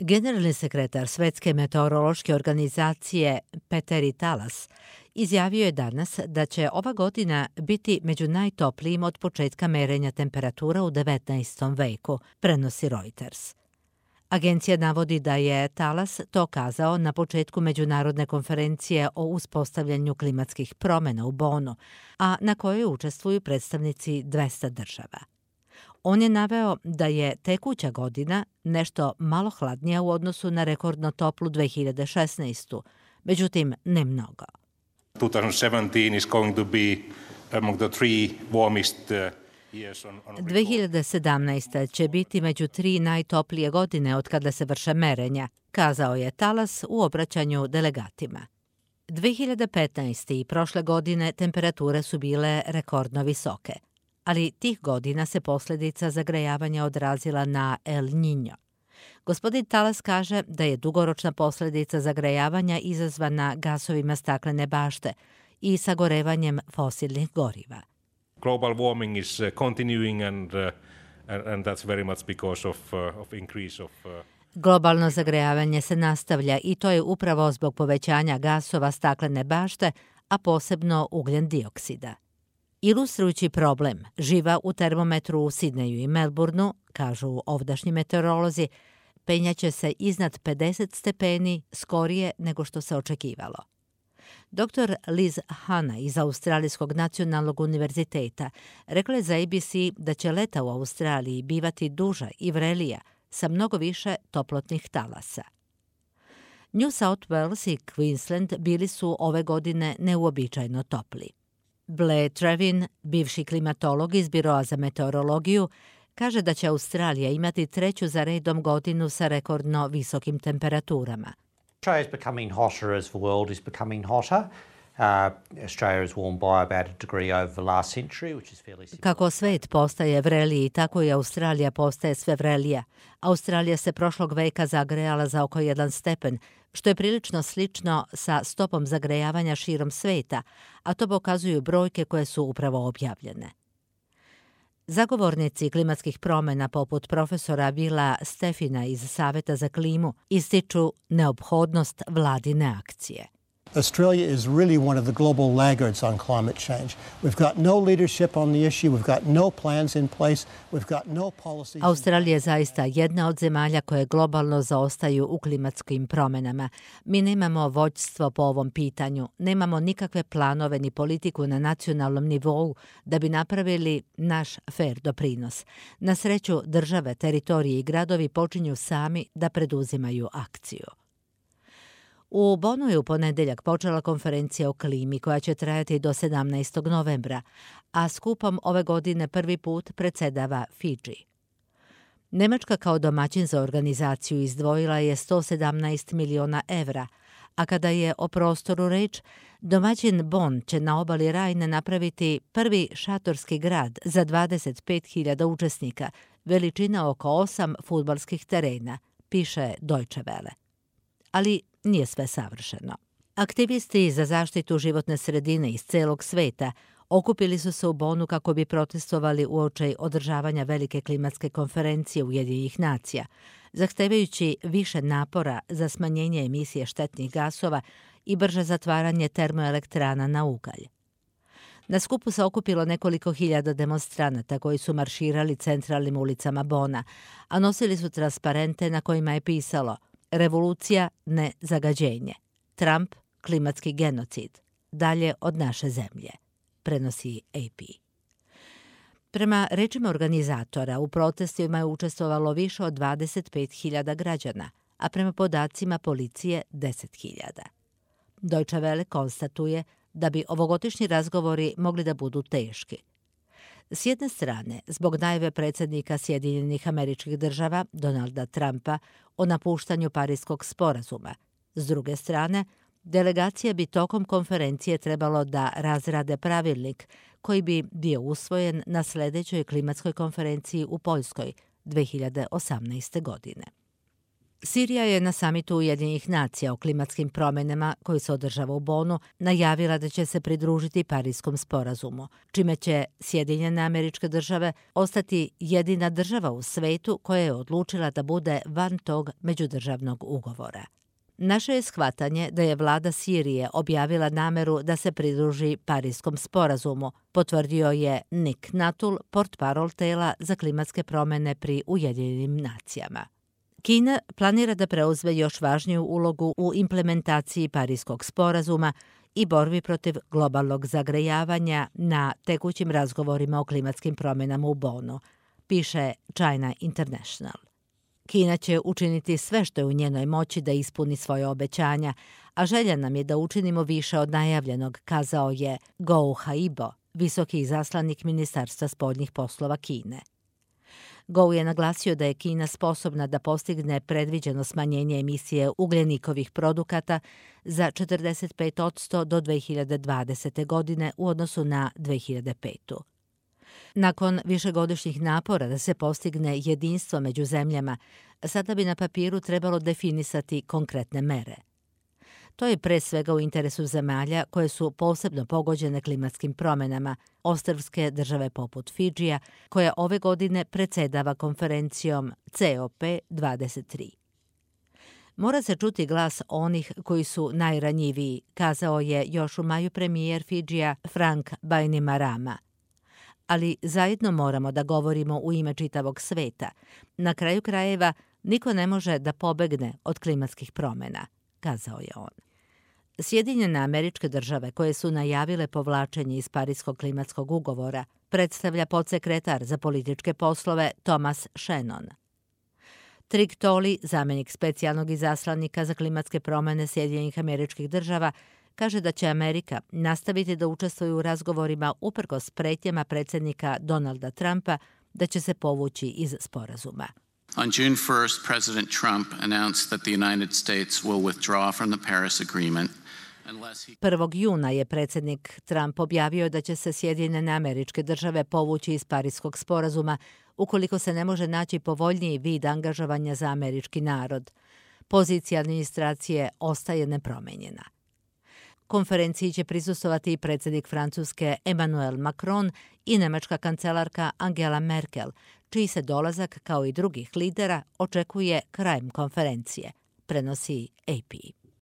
Generalni sekretar Svetske meteorološke organizacije Petteri Talas izjavio je danas da će ova godina biti među najtoplijim od početka merenja temperatura u 19. veku, prenosi Reuters. Agencija navodi da je Talas to kazao na početku međunarodne konferencije o uspostavljanju klimatskih promjena u Bonu, a na kojoj učestvuju predstavnici 200 država. On je naveo da je tekuća godina nešto malo hladnija u odnosu na rekordno toplu 2016. Međutim, ne mnogo. 2017 is going to be among the three warmest years on record. 2017. će biti među 3 najtoplije godine od kada se vrše merenja, kazao je Talas u obraćanju delegatima. 2015. i prošle godine temperature su bile rekordno visoke, ali tih godina se posljedica zagrejavanja odrazila na El Niño. Gospodin Talas kaže da je dugoročna posljedica zagrejavanja izazvana gasovima staklene bašte i sagorevanjem fosilnih goriva. Global warming is continuing and that's very much because of increase of Globalno zagrejavanje se nastavlja i to je upravo zbog povećanja gasova staklene bašte, a posebno ugljen dioksida. Ilustrujući problem živa u termometru u Sidneju i Melbourneu, kažu ovdašnji meteorolozi, penjaće se iznad 50 stepeni skorije nego što se očekivalo. Dr. Liz Hanna iz Australijskog nacionalnog univerziteta rekla je za ABC da će leta u Australiji bivati duža i vrelija sa mnogo više toplotnih talasa. New South Wales i Queensland bili su ove godine neuobičajeno topli. Blair Trevin, bivši klimatolog iz Biroa za meteorologiju, kaže da će Australija imati 3. za redom godinu sa rekordno visokim temperaturama. Australia is becoming hotter as the world is becoming hotter. Australia has warmed by about a degree over the last century, which is fairly significant. Kako svet postaje vreliji, tako i Australija postaje sve vrelija. Australija se prošlog veka zagrejala za oko 1 stepen, što je prilično slično sa stopom zagrejavanja širom sveta, a to pokazuju brojke koje su upravo objavljene. Zagovornici klimatskih promjena poput profesora Vila Stefina iz Saveta za klimu ističu neophodnost vladine akcije. Australia is really one of the global laggards on climate change. We've got no leadership on the issue, we've got no plans in place, we've got no policies. Australija je zaista jedna od zemalja koje globalno zaostaju u klimatskim promjenama. Mi nemamo vođstvo po ovom pitanju, nemamo nikakve planove ni politiku na nacionalnom nivou da bi napravili naš fair doprinos. Na sreću, države, teritorije i gradovi počinju sami da preduzimaju akciju. U Bonu je u ponedjeljak počela konferencija o klimi koja će trajati do 17. novembra, a skupom ove godine prvi put predsjedava Fidži. Nemačka kao domaćin za organizaciju izdvojila je 117 miliona evra, a kada je o prostoru reč, domaćin Bonn će na obali Rajne napraviti prvi šatorski grad za 25.000 učesnika, veličina oko 8 fudbalskih terena, piše Deutsche Welle. Ali nije sve savršeno. Aktivisti za zaštitu životne sredine iz celog sveta okupili su se u Bonu kako bi protestovali uoči održavanja velike klimatske konferencije Ujedinjenih nacija, zahtevajući više napora za smanjenje emisije štetnih gasova i brže zatvaranje termoelektrana na ugalj. Na skupu se okupilo nekoliko hiljada demonstranata koji su marširali centralnim ulicama Bona, a nosili su transparente na kojima je pisalo Revolucija, ne zagađenje. Trump, klimatski genocid. Dalje od naše zemlje, prenosi AP. Prema rečima organizatora, u protestima je učestvovalo više od 25.000 građana, a prema podacima policije 10.000. Deutsche Welle konstatuje da bi ovogodišnji razgovori mogli da budu teški. S jedne strane, zbog najave predsjednika Sjedinjenih Američkih Država, Donalda Trumpa, o napuštanju Pariskog sporazuma. S druge strane, delegacija bi tokom konferencije trebalo da razrade pravilnik koji bi bio usvojen na sljedećoj klimatskoj konferenciji u Poljskoj 2018. godine. Sirija je na samitu Ujedinjenih nacija o klimatskim promjenama koji se održava u Bonu najavila da će se pridružiti Parijskom sporazumu, čime će Sjedinjene Američke Države ostati jedina država u svetu koja je odlučila da bude van tog međudržavnog ugovora. Naše je shvatanje da je vlada Sirije objavila nameru da se pridruži Parijskom sporazumu, potvrdio je Nick Nuttall, portparol tela za klimatske promjene pri Ujedinjenim nacijama. Kina planira da preuzme još važniju ulogu u implementaciji Parijskog sporazuma i borbi protiv globalnog zagrejavanja na tekućim razgovorima o klimatskim promjenama u Bonu, piše China International. Kina će učiniti sve što je u njenoj moći da ispuni svoje obećanja, a želja nam je da učinimo više od najavljenog, kazao je Gou Haibo, visoki izaslanik Ministarstva spoljnih poslova Kine. Gou je naglasio da je Kina sposobna da postigne predviđeno smanjenje emisije ugljenikovih produkata za 45% do 2020. godine u odnosu na 2005. Nakon višegodišnjih napora da se postigne jedinstvo među zemljama, sada bi na papiru trebalo definisati konkretne mere. To je pre svega u interesu zemalja koje su posebno pogođene klimatskim promjenama, ostrvske države poput Fidžija, koja ove godine predsjedava konferencijom COP23. Mora se čuti glas onih koji su najranjiviji, kazao je još u maju premijer Fidžija Frank Bainimarama. Ali zajedno moramo da govorimo u ime čitavog sveta. Na kraju krajeva, niko ne može da pobegne od klimatskih promjena, kazao je on. Sjedinjene Američke Države, koje su najavile povlačenje iz Parijskog klimatskog ugovora, predstavlja podsekretar za političke poslove Thomas Shannon. Trick Tolley, zamjenik specijalnog izaslanika za klimatske promjene Sjedinjenih Američkih Država, kaže da će Amerika nastaviti da učestvuje u razgovorima uprkos pretnjama predsjednika Donalda Trumpa da će se povući iz sporazuma. On June 1st, President Trump announced that the United States will withdraw from the Paris Agreement. 1. juna je predsjednik Trump objavio da će se Sjedinjene Američke Države povući iz Parijskog sporazuma ukoliko se ne može naći povoljniji vid angažovanja za američki narod. Pozicija administracije ostaje nepromenjena. Konferenciji će prisustvovati i predsjednik Francuske Emmanuel Macron i nemačka kancelarka Angela Merkel, čiji se dolazak, kao i drugih lidera, očekuje krajem konferencije, prenosi AP.